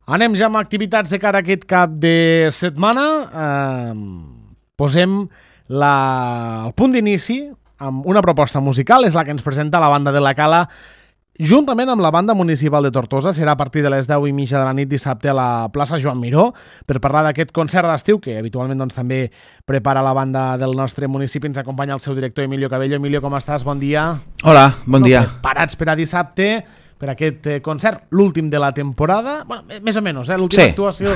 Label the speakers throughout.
Speaker 1: Anem ja amb activitats de cara a aquest cap de setmana. Posem el punt d'inici amb una proposta musical, és la que ens presenta la banda de la Cala, juntament amb la banda municipal de Tortosa. Serà a partir de les 10:30 de la nit dissabte a la plaça Joan Miró per parlar d'aquest concert d'estiu que habitualment doncs, també prepara la banda del nostre municipi. Ens acompanya el seu director Emilio Cabello. Emilio, com estàs? Bon dia.
Speaker 2: Hola, bon dia.
Speaker 1: Preparats per a dissabte, per aquest concert, l'últim de la temporada, bueno, més o menys, l'última actuació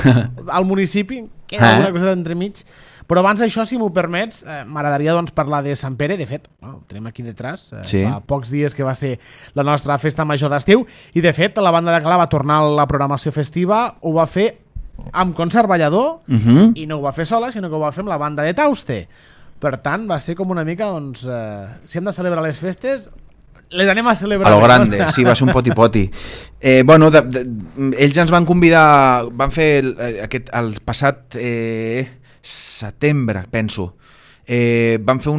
Speaker 1: al municipi, queda alguna cosa d'entremig. Però abans d'això, si m'ho permets, m'agradaria doncs, parlar de Sant Pere. De fet, ho tenim aquí detrás, fa pocs dies que va ser la nostra festa major d'estiu, i de fet la banda de Cala va tornar a la programació festiva, ho va fer amb concert ballador, i no ho va fer sola, sinó que ho va fer amb la banda de Tauste. Per tant, va ser com una mica, doncs, si hem de celebrar les festes, les anem a celebrar.
Speaker 2: A lo grande, sí, va ser un poti-poti. Ells ens van convidar, van fer el passat setembre, penso. Van fer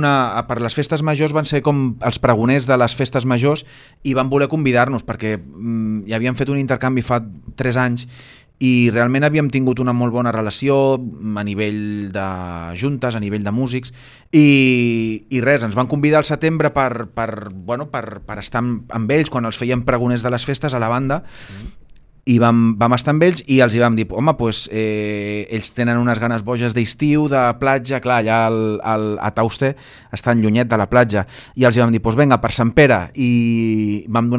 Speaker 2: per les festes majors, van ser com els pregoners de les festes majors i van voler convidar-nos perquè ja havíem fet un intercanvi fa 3 anys i realment havíem tingut una molt bona relació a nivell de juntes, a nivell de músics, i res, ens van convidar al setembre per estar amb ells quan els feien pregoners de les festes a la banda, i vam estar amb ells i els hi vam dir, home, doncs ells tenen unes ganes boges d'estiu, de platja, clar, allà a Tauste estan llunyet de la platja, i els hi vam dir, doncs vinga, per Sant Pere, i vam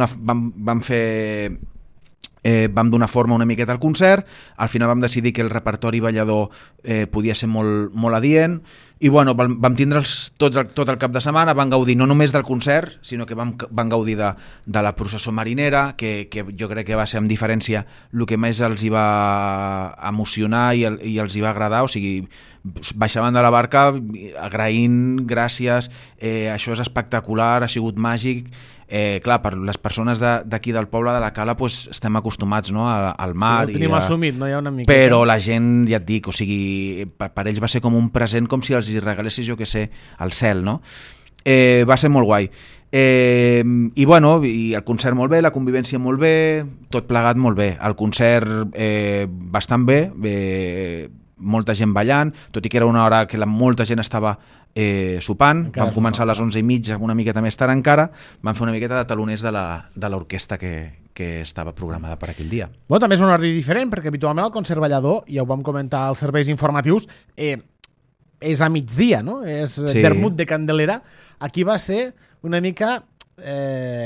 Speaker 2: donar forma una miqueta al concert. Al final vam decidir que el repertori ballador podia ser molt, molt adient, i bueno, vam tindre'ls tot el cap de setmana, van gaudir no només del concert, sinó que van gaudir de la processó marinera, que jo crec que va ser amb diferència el que més els hi va emocionar i els hi va agradar. O sigui, baixaven de la barca agraint, gràcies, això és espectacular, ha sigut màgic. Clar, per les persones d'aquí del poble de la Cala pues, estem acostumats, no, al mar,
Speaker 1: sí, ho tenim assumit, no hi ha una mica,
Speaker 2: però la gent, ja et dic, o sigui, per ells va ser com un present, com si els hi regalessis, jo què sé, el cel, no? Va ser molt guai. I bueno, i el concert molt bé, la convivència molt bé, tot plegat molt bé, el concert bastant bé, molta gent ballant, tot i que era una hora que molta gent estava sopant. Vam començar a les 11:30, una miqueta més tard encara, vam fer una miqueta de taloners de l'orquestra que estava programada per aquell dia.
Speaker 1: Bueno, també és un horari diferent, perquè habitualment el concert ballador, ja ho vam comentar als serveis informatius, és a migdia, no? És vermut de Candelera. Aquí va ser una mica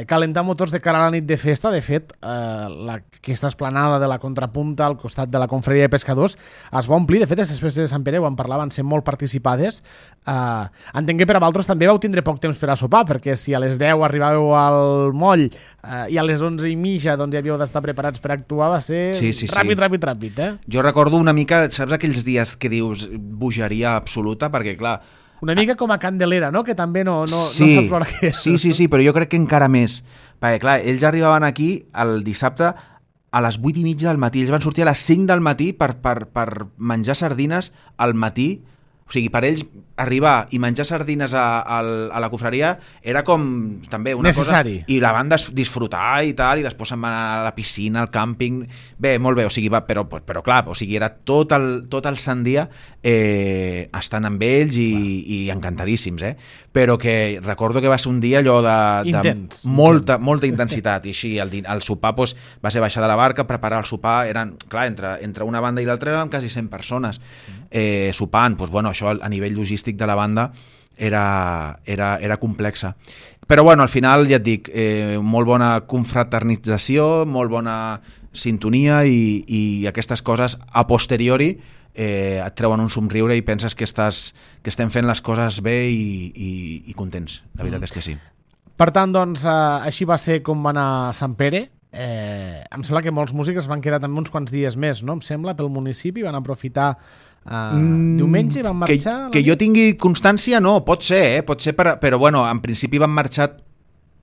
Speaker 1: calentar motors de cara a la nit de festa. De fet, aquesta esplanada de la Contrapunta al costat de la Confraria de Pescadors es va omplir. De fet, les festes de Sant Pere, ho en parlava, van ser molt participades. Entenc que per a vosaltres també vau tindre poc temps per a sopar, perquè si a les 10 arribàveu al moll i a les 11:30 doncs, ja havíeu d'estar preparats per actuar, va ser ràpid.
Speaker 2: Jo recordo una mica, saps aquells dies que dius bogeria absoluta, perquè clar,
Speaker 1: una mica com a Candelera, no? Que també no saps l'hora que és.
Speaker 2: Sí, però jo crec que encara més. Perquè, clar, ells arribaven aquí el dissabte a les 8:30 del matí. Ells van sortir a les 5 del matí per menjar sardines al matí. O sigui, per ells arribar i menjar sardines a la confraria era com també una
Speaker 1: necessari.
Speaker 2: Cosa... I la van disfrutar i tal, i després se'n van anar a la piscina, al càmping... Bé, molt bé, o sigui, però clar, o sigui, era tot el sant dia estant amb ells i encantadíssims, Però que recordo que va ser un dia allò de molta intensitat, i així, el sopar doncs, va ser baixar de la barca, preparar el sopar, eren, clar, entre una banda i l'altra eren quasi 100 persones sopant, doncs bueno, això a nivell logístic de la banda era complexa. Però bueno, al final, ja et dic, molt bona confraternització, molt bona sintonia, i aquestes coses a posteriori et treuen un somriure i penses que estem fent les coses bé i contents. La veritat és que sí.
Speaker 1: Per tant, doncs, així va ser com va anar Sant Pere. Em sembla que molts músics van quedar també uns quants dies més, no? Em sembla, pel municipi, van aprofitar diumenge i van marxar...
Speaker 2: Que jo tingui constància, no, pot ser, però bueno, en principi van marxar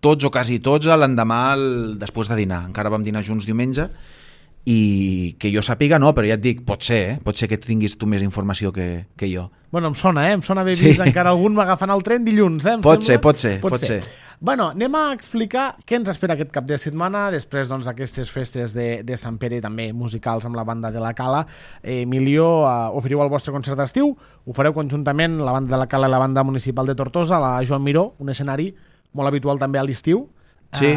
Speaker 2: tots o quasi tots l'endemà després de dinar. Encara vam dinar junts diumenge i que jo sàpiga no, però ja et dic, pot ser que tinguis tu més informació que jo.
Speaker 1: Bueno, em sona haver vist encara algun m'agafant el tren dilluns,
Speaker 2: Pot ser.
Speaker 1: Bueno, anem a explicar què ens espera aquest cap de setmana, després d'aquestes festes de Sant Pere, també musicals amb la banda de la Cala. Emilio, oferiu el vostre concert d'estiu, ho fareu conjuntament la banda de la Cala i la banda municipal de Tortosa, la Joan Miró, un escenari molt habitual també a l'estiu.
Speaker 2: Sí.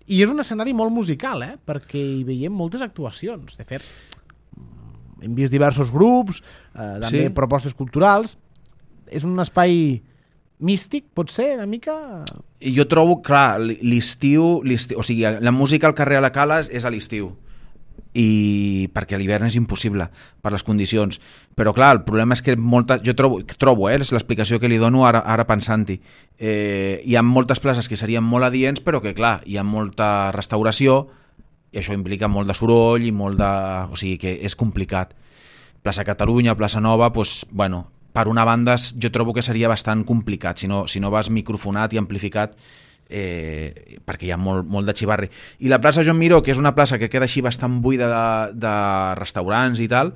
Speaker 1: I és un escenari molt musical, perquè hi veiem moltes actuacions. De fet, hem vist diversos grups, també propostes culturals. És un espai místic, pot ser, una mica?
Speaker 2: Jo trobo, clar, l'estiu, o sigui, la música al carrer a la Cala és a l'estiu, i perquè a l'hivern és impossible per les condicions, però clar, el problema és que jo trobo és l'explicació que li dono ara pensant-hi, hi ha moltes places que serien molt adients, però que clar, hi ha molta restauració i això implica molt de soroll i o sigui que és complicat. Plaça Catalunya, Plaça Nova, doncs, bueno, per una banda jo trobo que seria bastant complicat si no vas microfonat i amplificat, perquè hi ha molt de xivarri. I la plaça Joan Miró, que és una plaça que queda així bastant buida de restaurants i tal,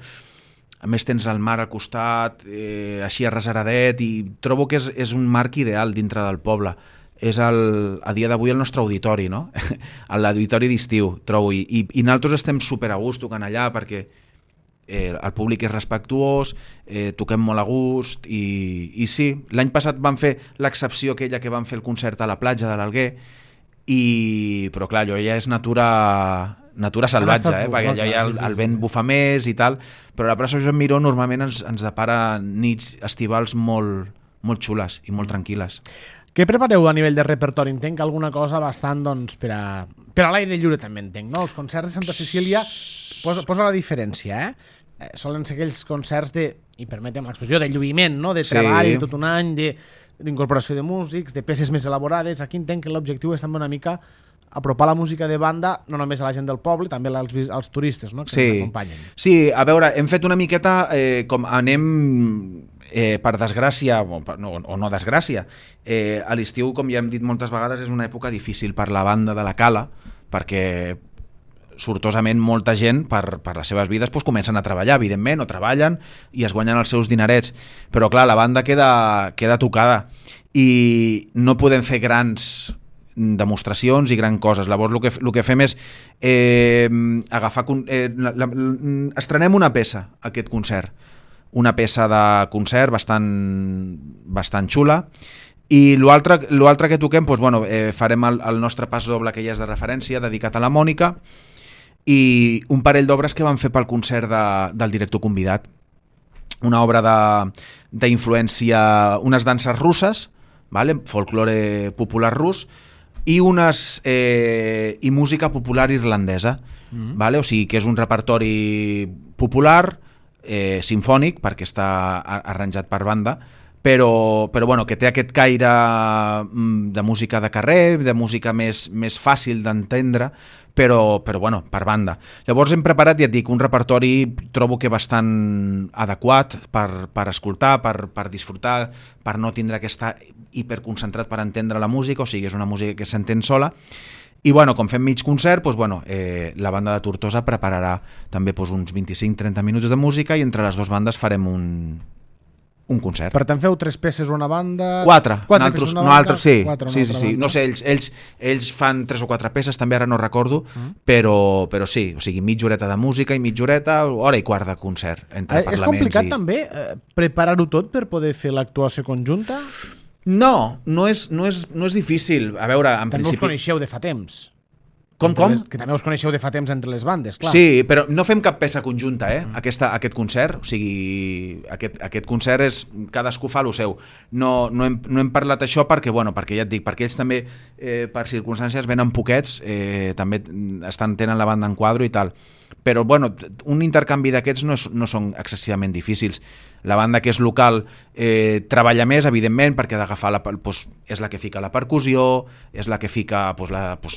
Speaker 2: a més tens el mar al costat, així arrasaradet, i trobo que és un marc ideal dintre del poble. És a dia d'avui el nostre auditori, no? L'auditori d'estiu, trobo, i nosaltres estem super a gust tocant allà perquè el públic és respectuós, toquem molt a gust, i sí, l'any passat van fer l'excepció aquella que van fer el concert a la platja de l'Alguer, però clar, allò ja és natura salvatge, perquè allò ja el vent bufa més i tal, però la plaça Joan Miró normalment ens depara nits estivals molt xules i molt tranquil·les.
Speaker 1: Què prepareu a nivell de repertori? Entenc alguna cosa bastant per a l'aire lliure també entenc, no? Els concerts de Santa Cecília posa la diferència, solen ser aquells concerts i permetem l'expressió, de lluïment, no? De treball, tot un any, d'incorporació de músics, de peces més elaborades. Aquí entenc que l'objectiu és també una mica apropar la música de banda no només a la gent del poble, també als turistes, no? Que ens acompanyen.
Speaker 2: Sí, a veure, hem fet una miqueta com anem... per desgràcia, o no desgràcia, a l'estiu, com ja hem dit moltes vegades, és una època difícil per la banda de la Cala, perquè sortosament molta gent per les seves vides comencen a treballar, evidentment, o treballen i es guanyen els seus dinerets, però clar, la banda queda tocada i no podem fer grans demostracions i gran coses. Llavors el que fem és agafar... estrenem una peça, aquest concert, una peça de concert bastant xula, i l'altre que toquem, farem el nostre pas doble, que ja és de referència, dedicat a la Mònica, i un parell d'obres que vam fer pel concert del director convidat, una obra d'influència, unes danses russes, folklore popular rus, i música popular irlandesa, o sigui que és un repertori popular, simfònic, perquè està arranjat per banda, però que té aquest caire de música de carrer, de música més fàcil d'entendre, però per banda. Llavors hem preparat, ja et dic, un repertori trobo que bastant adequat per escoltar, per disfrutar, per no tindre que estar hiperconcentrat per entendre la música, o sigui, és una música que s'entén sola. I com fem mig concert, la banda de Tortosa prepararà també uns 25-30 minuts de música i entre les dues bandes farem un concert.
Speaker 1: Per tant, feu 3 peces una banda...
Speaker 2: 4.
Speaker 1: Nosaltres
Speaker 2: sí. No sé, ells fan 3 o 4 peces, també ara no recordo, però sí, o sigui, mitja horeta de música i mitja horeta, hora i quart de concert, entre parlaments.
Speaker 1: És complicat també preparar-ho tot per poder fer l'actuació conjunta?
Speaker 2: No és difícil. A veure, en
Speaker 1: també
Speaker 2: principi...
Speaker 1: us coneixeu de fa temps.
Speaker 2: Com?
Speaker 1: Que també us coneixeu de fa temps entre les bandes, clar.
Speaker 2: Sí, però no fem cap peça conjunta, aquest concert. O sigui, aquest concert és... Cadascú fa el seu. No hem parlat això perquè ja et dic, perquè ells també, per circumstàncies, venen poquets, també tenen la banda en quadro i tal. Però, un intercanvi d'aquests no són excessivament difícils. La banda que és local treballa més, evidentment, perquè ha d'agafar és la que fica la percussió, és la que fica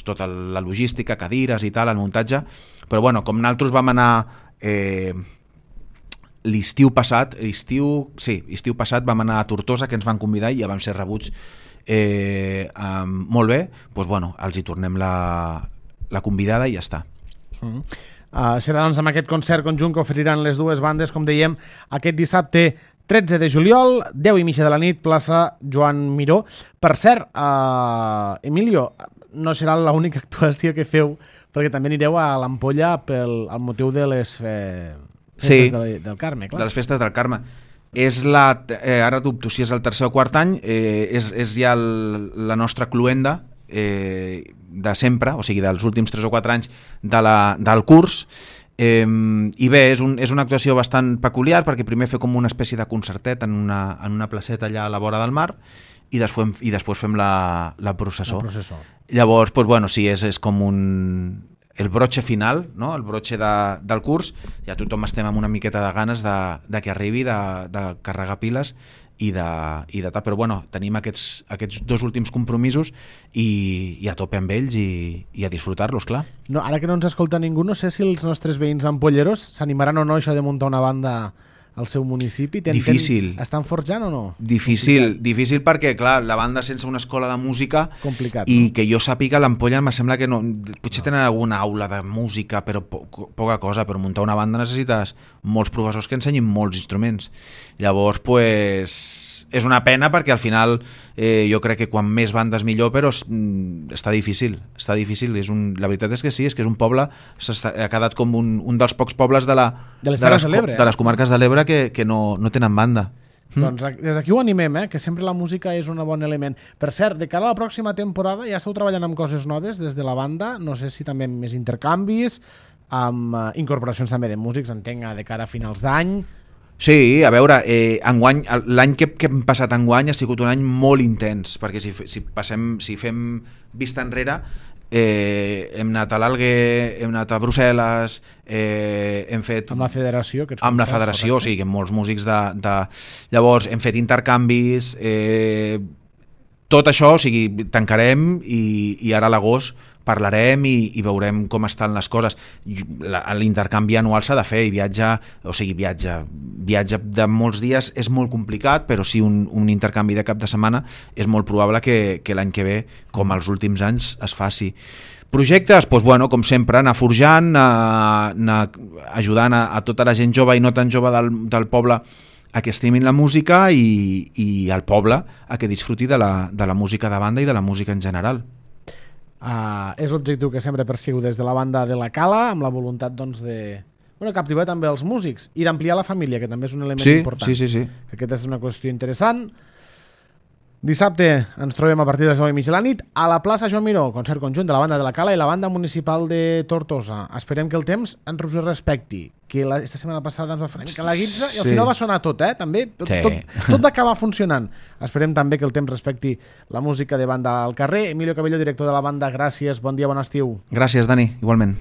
Speaker 2: tota la logística, cadires i tal, el muntatge. Però com nosaltres vam anar l'estiu passat vam anar a Tortosa, que ens van convidar i ja vam ser rebuts molt bé, els hi tornem la convidada i ja està.
Speaker 1: Serà doncs amb aquest concert conjunt que oferiran les dues bandes, com dèiem, aquest dissabte 13 de juliol, 10:30 de la nit, plaça Joan Miró. Per cert, Emilio, no serà l'única actuació que feu, perquè també anireu a l'Ampolla al motiu de les festes del Carme, clar.
Speaker 2: De les festes del Carme. És ara dubto si és el tercer o quart any, és ja la nostra cluenda de sempre, o sigui, dels últims 3 o 4 anys del curs. I bé, és una actuació bastant peculiar, perquè primer fer com una espècie de concertet en una placeta allà a la vora del mar i després fem la processó. Llavors, doncs, bueno, sí, és com el broche final, no? El broche del curs. Ja tothom estem amb una miqueta de ganes de que arribi, de carregar piles i de tal, però bueno, tenim aquests 2 últims compromisos i a tope amb ells i a disfrutar-los, clar.
Speaker 1: No, ara que no ens escolta ningú, no sé si els nostres veïns ampolleros s'animaran o no això de muntar una banda al seu municipi.
Speaker 2: Difícil.
Speaker 1: Estan forjant o no?
Speaker 2: Difícil perquè, clar, la banda sense una escola de música,
Speaker 1: complicat,
Speaker 2: i
Speaker 1: no?
Speaker 2: Que jo sàpiga, l'Ampolla em sembla que no, potser tenen alguna aula de música, però poca cosa. Per muntar una banda necessites molts professors que ensenyin molts instruments. Llavors, pues, és una pena, perquè al final jo crec que quan més bandes millor, però està difícil. La veritat és que sí, és que és un poble, ha quedat com un dels pocs pobles de les comarques de l'Ebre que no tenen banda.
Speaker 1: Doncs des d'aquí ho animem, que sempre la música és un bon element. Per cert, de cara a la pròxima temporada ja esteu treballant amb coses noves des de la banda, no sé si també amb més intercanvis, amb incorporacions també de músics, entenc, de cara a finals d'any.
Speaker 2: Sí, a veure, l'any que hem passat enguany ha sigut un any molt intens, perquè si fem vista enrere, hem anat a l'Alguer, hem anat a Brussel·les, hem fet...
Speaker 1: Amb la federació,
Speaker 2: amb la federació, o sigui, amb molts músics Llavors, hem fet intercanvis, tot això, o sigui, tancarem i ara a l'agost parlarem i veurem com estan les coses. L'intercanvi anual s'ha de fer i viatge de molts dies és molt complicat, però sí un intercanvi de cap de setmana és molt probable que l'any que ve, com els últims anys, es faci. Projectes, doncs, bueno, com sempre, anar forjant, anar ajudant a tota la gent jove i no tan jove del poble a que estimin la música i al poble a que disfruti de la música de banda i de la música en general.
Speaker 1: És l'objectiu que sempre persigo des de la banda de la Cala, amb la voluntat doncs, de captivar també els músics i d'ampliar la família, que també és un element important.
Speaker 2: Sí.
Speaker 1: Que aquesta és una qüestió interessant. Dissabte ens trobem a partir de les 9:30 de la nit a la plaça Joan Miró, concert conjunt de la banda de la Cala i la banda municipal de Tortosa. Esperem que el temps ens ho respecti, que esta setmana passada ens va fer una mica la guitza i al final va sonar tot, també. Tot va acabar funcionant. Esperem també que el temps respecti la música de banda al carrer. Emilio Cabello, director de la banda, gràcies, bon dia, bon estiu.
Speaker 2: Gràcies, Dani, igualment.